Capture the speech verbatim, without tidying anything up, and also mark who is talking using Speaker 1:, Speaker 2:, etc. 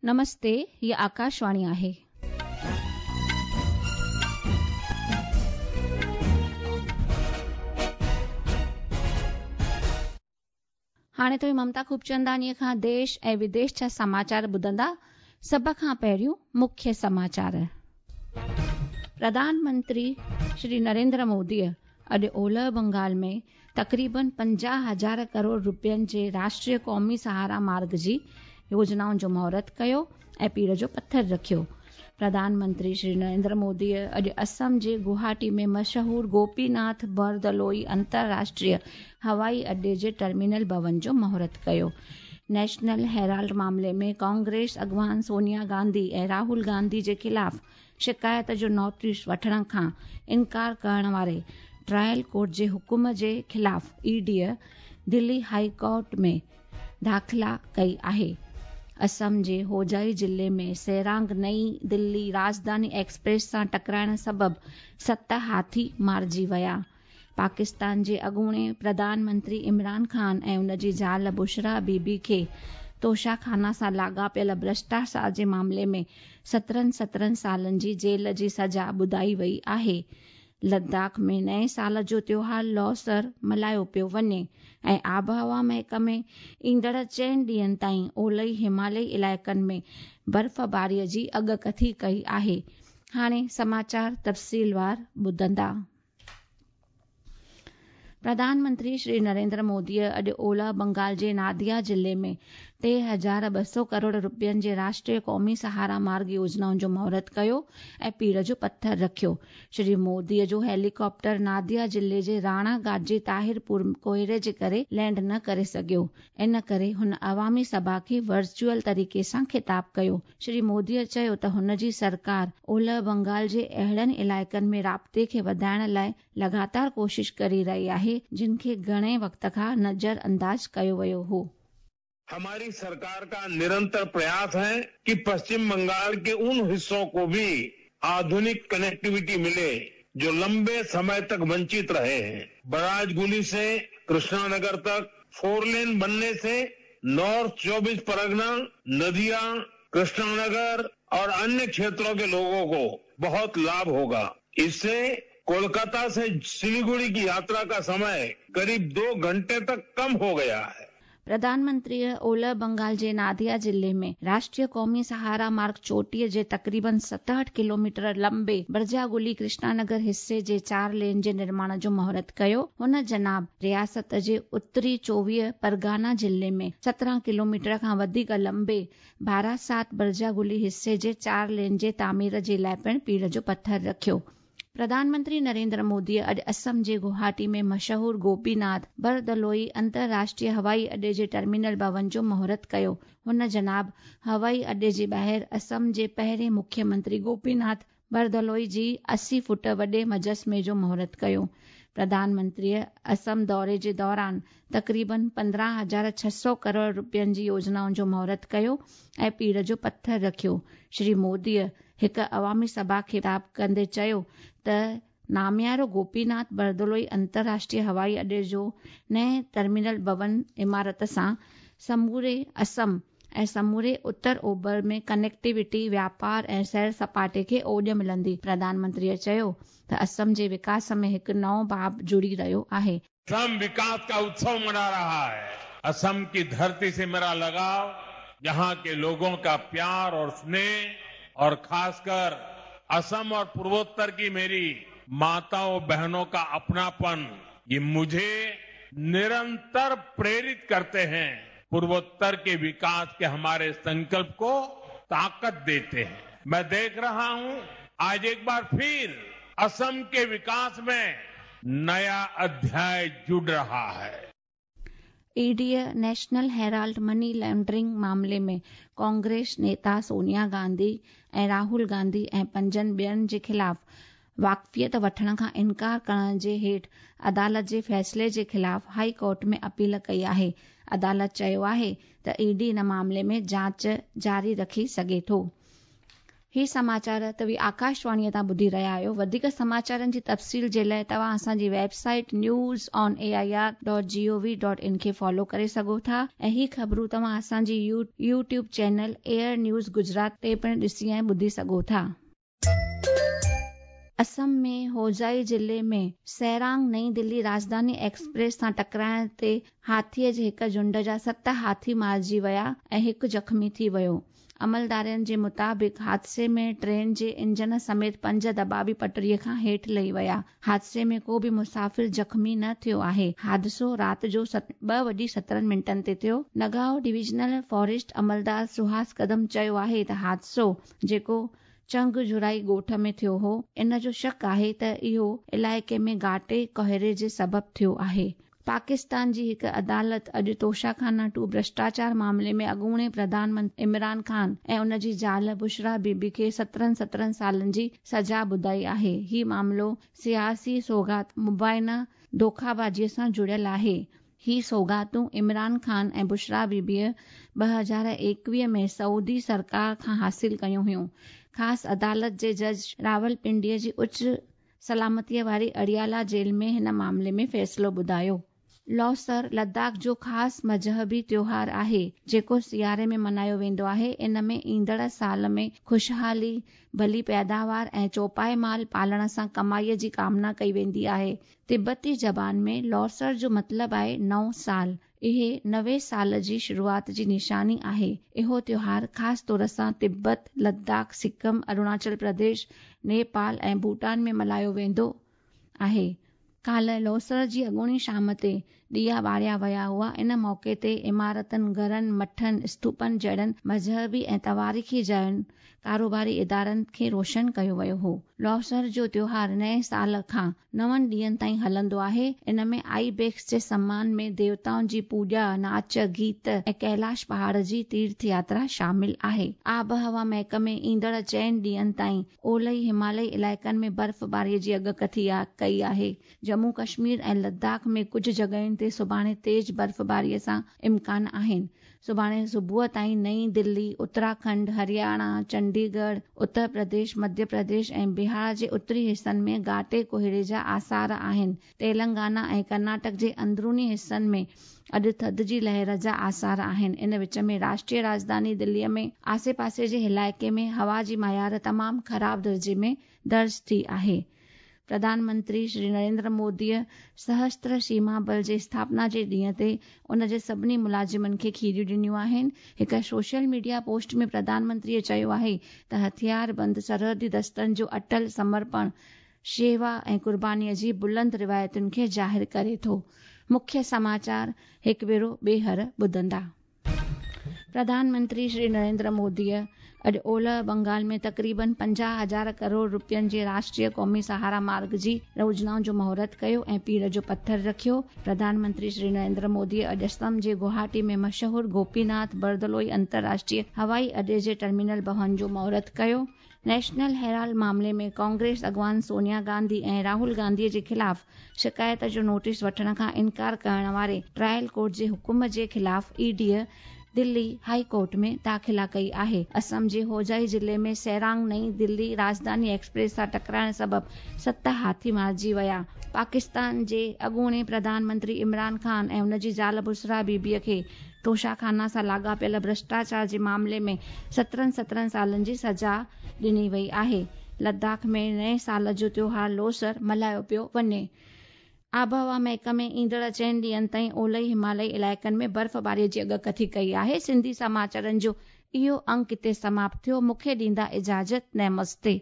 Speaker 1: नमस्ते, ही आकाशवाणी आहे. हाणे तव्हीं ममता खूबचंदानीअ खां देश ऐं विदेश जा समाचार ॿुधंदा. सभ खां पहिरियों मुख्य समाचार. प्रधानमंत्री श्री नरेंद्र मोदीअ अॼु ओलह बंगाल में तक़रीबन पंजाह हज़ार करोड़ रुपयनि जे राष्ट्रीय क़ौमी सहारा मार्ग जी योजनाउनि जो मुहूर्त कयो ऐं पीड़ जो पथर रखियो. प्रधानमंत्री श्री नरेंद्र मोदीअ अॼु असम जे गुवाहाटी में मशहूर गोपीनाथ बरदलोई अंतर्राष्ट्रीय हवाई अड्डे जे टर्मिनल भवन जो मुहूर्त कयो. नेशनल हेराल्ड मामले में कांग्रेस अॻवान सोनिया गांधी ऐं राहुल गांधी जे ख़िलाफ़ शिकायत जो नोटिस वठण खां इनकार करण वारे ट्रायल कोर्ट जे हुकुम जे ख़िलाफ़ ईडीअ दिल्ली हाई कोर्ट में दाख़िला कई आहे. असम जे होजाई ज़िले में सेरांग नई दिल्ली राजधानी एक्सप्रेस सां टकराइण सबबि सत हाथी मारिजी विया. पाकिस्तान जे अॻूणे प्रधानमंत्री इमरान ख़ान ऐं उन जी ज़ाल बुशरा बीबी खे तोशाखाना सां लाॻापियल भ्रष्टाचार जे मामले में सत्रहं सत्रहं सालनि जी जेल जी सज़ा ॿुधाई वई आहे. लद्दाख में नए साल जो त्योहार लोसर मल्हायो पियो वञे ऐं आबहवा महकमे ईंदड़ चइनि ॾींहनि ताईं ओलही हिमालयी इलाइक़नि में बर्फ़बारीअ जी अॻकथी कई आहे. हाणे समाचार तफ़सीलवार ॿुधंदा. प्रधानमंत्री श्री नरेंद्र मोदीअ अॼु ओलह बंगाल जे नादिया ज़िले में टे हज़ार ॿ सौ करोड़ रुपयनि जे राष्ट्रीय क़ौमी सहारा मार्ग योजनाउनि जो मुहूर्त कयो ऐं पीड़ जो पथर रखियो. श्री मोदीअ जो हेलीकॉप्टर नादिया ज़िले जे राणाघाट जे ताहिरपुर कोहरे जे करे लैंड न करे सघियो. इन करे हुन अवामी सभा खे वर्चुअल तरीक़े सां ख़िताब कयो. श्री मोदीअ चयो त हुन जी सरकार ओलह बंगाल जे अहिड़नि इलाइक़नि में राब्ते खे वधाइण लाइ लगातार कोशिश करे रही आहे जिन खे घणे वक़्त खां नज़र अंदाज़ कयो वियो हो.
Speaker 2: हमारी सरकार का निरंतर प्रयास है कि पश्चिम बंगाल के उन हिस्सों को भी आधुनिक कनेक्टिविटी मिले जो लंबे समय तक वंचित रहे हैं. बराजगुली से कृष्णानगर तक फोर लेन बनने से नॉर्थ चौबीस परगना, नदिया, कृष्णानगर और अन्य क्षेत्रों के लोगों को बहुत लाभ होगा. इससे कोलकाता से सिलीगुड़ी की यात्रा का समय करीब दो घंटे तक कम हो गया है.
Speaker 1: प्रधानमंत्री ओलह बंगाल जे नादिया ज़िले में राष्ट्रीय क़ौमी सहारा मार्ग चोटीह जे तक़रीबन सतहठि किलोमीटर लंबे बरजागुली कृष्णानगर हिसे जे चार लेन जे निर्माण जो मुहूर्त कयो. हुन जनाब रियासत जे उत्तरी चोवीह परगाना ज़िले में सत्रहं किलोमीटर खां वधीक लंबे बारासात बरजागुली हिसे जे चार लेन जे तामीर जे लाइ पिणु पीड़ जो पथर रखियो. प्रधानमंत्री नरेंद्र मोदीअ अॼु असम जे गुवाहाटी में मशहूर गोपीनाथ बरदलोई अंतर्राष्ट्रीय हवाई अड्डे जे टर्मिनल भवन जो मुहूर्त कयो. हुन जनाब हवाई अड्डे जे ॿाहिरि असम जे पहिरें मुख्यमंत्री गोपीनाथ बरदलोई जी असी फुट वॾे मुजस्मे जो मुहूर्त कयो. प्रधानमंत्रीअ असम दौरे जे दौरान तक़रीबन पंद्रहं हज़ार छह सौ करोड़ रुपयनि जी योजनाउनि जो मुहूर्त कयो ऐं पीड़ जो पथर रखियो. श्री मोदीअ हिकु अवामी सभा खे ख़िताब कंदे चयो त नामियारो गोपीनाथ बरदलोई अंतर्राष्ट्रीय हवाई अड्डे जो नए टर्मिनल भवन इमारत सां समूरे असम ऐं समूरे उत्तर ओभर में कनेक्टिविटी, व्यापार ऐं सैर सपाटे खे ओॾ मिलंदी. प्रधानमंत्रीअ चयो त असम जे विकास में हिकु नओं बाब जुड़ी रहियो आहे.
Speaker 2: असम विकास का उत्सव मना रहा है. असम की धरती से मेरा लगाव, यहाँ के लोगों का प्यार और स्नेह और खासकर असम और पूर्वोत्तर की मेरी माताओं बहनों का अपनापन, ये मुझे निरंतर प्रेरित करते हैं. पूर्वोत्तर के विकास के हमारे संकल्प को ताकत देते हैं. मैं देख रहा हूं आज एक बार फिर असम के विकास में नया अध्याय जुड़ रहा है.
Speaker 1: ईडीअ नेशनल हेराल्ड मनी लॉन्ड्रिंग मामले में कांग्रेस नेता सोनिया गांधी ऐं राहुल गांधी ऐं पंजनि ॿियनि जे ख़िलाफ़ वाक़फ़ियत वठण खां इनकार करण जे हेठि अदालत जे फ़ैसिले जे ख़िलाफ़ हाई कोर्ट में अपील कई आहे. अदालत चयो आहे त ईडी इन मामले में जांच जारी रखी सघे थो. ही समाचार तव्हीं आकाशवाणीअ तां ॿुधी रहिया आहियो। वधीक समाचारनि जी तफ़सील जे लाइ तव्हां असांजी website news on A I R dot G O V dot in खे फॉलो करे सघो था ऐं ही ख़बरूं तव्हां असांजी YouTube channel AIR news Gujarat ते पिणु ॾिसी ऐं ॿुधी सघो था। असम में होजाई ज़िले में सैरांग नई दिल्ली राजधानी एक्सप्रेस सां टकराइण ते हाथीअ जे हिकु झुंड जा सत हाथी मारिजी विया ऐं हिकु ज़ख़्मी थी वियो। अमलदारनि जे मुताबिक़ हादसे में ट्रेन जे इंजन समेत पंज दॿा बि पटड़ीअ खां हेठि लही विया। हादसे में को बि मुसाफ़िर ज़ख़्मी न थियो आहे। हादिसो राति जो ॿ वॼी सत्रहं मिंटनि ते थियो। नगांव डिविजनल फॉरेस्ट अमलदार सुहास कदम चयो आहे त हादिसो जेको चंगझुराई ॻोठ में थियो हो, इन जो शक आहे त इहो इलाइक़े में घाटे कोहरे जे सबबु थियो आहे। पाकिस्तान जी हिकु अदालत अॼु तोशाखाना टू भ्रष्टाचार मामले में अॻूणे प्रधानमंत्री इमरान खान ऐं उन जी ज़ाल बुशरा बीबी खे सत्रहं सत्रहं सालनि जी सज़ा ॿुधाई आहे। ही मामिलो सियासी सौगात मुबाइना धोखाबाज़ीअ सां जुड़ियल आहे। ही सौगातूं इमरान खान ऐं बुशरा बीबीअ ॿ हज़ार एकवीह में सऊदी सरकार खां हासिल कयूं हुयूं। ख़ासि अदालत जे जज रावलपिंडीअ जी उच्च सलामतीअ वारी अडियाला जेल में हिन मामले में फ़ैसिलो ॿुधायो। लोसर लद्दाख जो ख़ासि मज़हबी त्योहार आहे जेको सियारे में मल्हायो वेंदो आहे। इन में ईंदड़ साल में ख़ुशहाली, भली पैदावार ऐं चौपाए माल पालण सां कमाईअ जी कामना कई वेंदी आहे। तिब्बती ज़बान में लोसर जो मतिलबु आहे नओं साल। इहे नवे साल जी शुरूआत जी निशानी आहे। इहो त्योहार ख़ासि तौर सां तिब्बत, लद्दाख, सिक्किम, अरुणाचल प्रदेश, नेपाल ऐं भूटान में मल्हायो वेंदो आहे। काल्ह लोसर जी अॻूणी शाम ते ॾिया ॿारिया विया हुआ। इन मौक़े ते इमारतनि, घरनि, मठनि, स्तूपनि जहिड़नि मज़हबी ऐं तवारीख़ी जायुनि, कारोबारी इदारनि खे रोशन कयो वियो हो। लोसर जो त्योहार नए साल खां नवनि ॾींहनि ताईं हलंदो आहे। इन में आईबेक्स जे सम्मान में देवताउनि जी पूॼा, नाच, गीत ऐं कैलाश पहाड़ जी तीर्थ यात्रा शामिल आहे। आबहवा महकमे ईंदड़ चइनि ॾींहनि ताईं ओलही हिमालयी इलाइक़नि में बर्फ़बारीअ जी अॻकथी कई आहे। जम्मू कश्मीर ऐं लद्दाख में कुझु जॻहियुनि ते सुभाणे तेज़ बर्फ़बारीअ सां इम्कान आहिनि। सुभाणे सुबुह ताईं नई दिल्ली, उत्तराखंड, हरियाणा, चंडीगढ़, उत्तर प्रदेश, मध्य प्रदेश ऐं बिहार जे उत्तरी हिसनि में घाटे कोहरे जा आसार आहिनि। तेलंगाना ऐं कर्नाटक जे अंदरूनी हिसनि में अॼु थधि जी लहर जा आसार आहिनि। इन विच में राष्ट्रीय राजधानी दिल्लीअ में आसे पासे जे इलाइक़े में हवा जी मयार तमामु ख़राब दर्जे में दर्ज थी आहे। प्रधानमंत्री श्री नरेंद्र मोदीअ सहस्त्र सीमा बल जे स्थापना जे ॾींहं ते उन जे सभिनी मुलाज़िमनि खे खीरियूं ॾिनियूं आहिनि। हिकु सोशल मीडिया पोस्ट में प्रधानमंत्रीअ चयो आहे त हथियारबंद सरहदी दस्तनि जो अटल समर्पण शेवा ऐं क़ुर्बानीअ जी बुलंद रिवायतुनि खे ज़ाहिर करे थो। मुख्य समाचार हिकु भेरो ॿीहर ॿुधंदा। प्रधानमंत्री श्री नरेंद्र मोदीअ अॼु ओलह बंगाल में तक़रीबन पंजाह हज़ार करोड़ रुपयनि जे राष्ट्रीय क़ौमी सहारा मार्ग जी योजनाउनि जो मुहूर्त कयो ऐं पीड़ जो पथर रखियो। प्रधानमंत्री श्री नरेंद्र मोदीअ अॼु असम जे गुवाहाटी में मशहूर गोपीनाथ बरदलोई अंतर्राष्ट्रीय हवाई अॾे जे टर्मिनल भवन जो मुहूर्त कयो। नेशनल हेराल्ड मामले में कांग्रेस अॻवान सोनिया गांधी ऐं राहुल गांधीअ जे ख़िलाफ़ शिकायत जो नोटिस वठण खां इनकार करण वारे ट्रायल कोर्ट जे हुकुम जे ख़िलाफ़ ईडीअ दिल्ली हाई कोर्ट में दाख़िला कई आहे। असम जे होजाई ज़िले में सैरांग नई दिल्ली राजधानी एक्सप्रेस सां टकराइण सबबु सत हाथी मारिजी विया। पाकिस्तान जे अॻूणे प्रधानमंत्री इमरान खान ऐं उन जी ज़ाल बुशरा बीबीअ खे तोशाखाना सां लाॻापियल भ्रष्टाचार जे मामले में सत्रहं सत्रहं सालनि जी सज़ा ॾिनी वई आहे। लद्दाख में नए साल जो त्योहार लोसर मल्हायो पियो वञे। आबहवा महकमे ईंदड़ चइनि ॾींहनि ताईं ओलही हिमालयी इलाइक़नि में बर्फ़बारीअ जी अॻकथी कई आहे। सिंधी समाचारनि जो इहो अंक हिते समाप्त थियो। मूंखे ॾींदा इजाज़त। नमस्ते।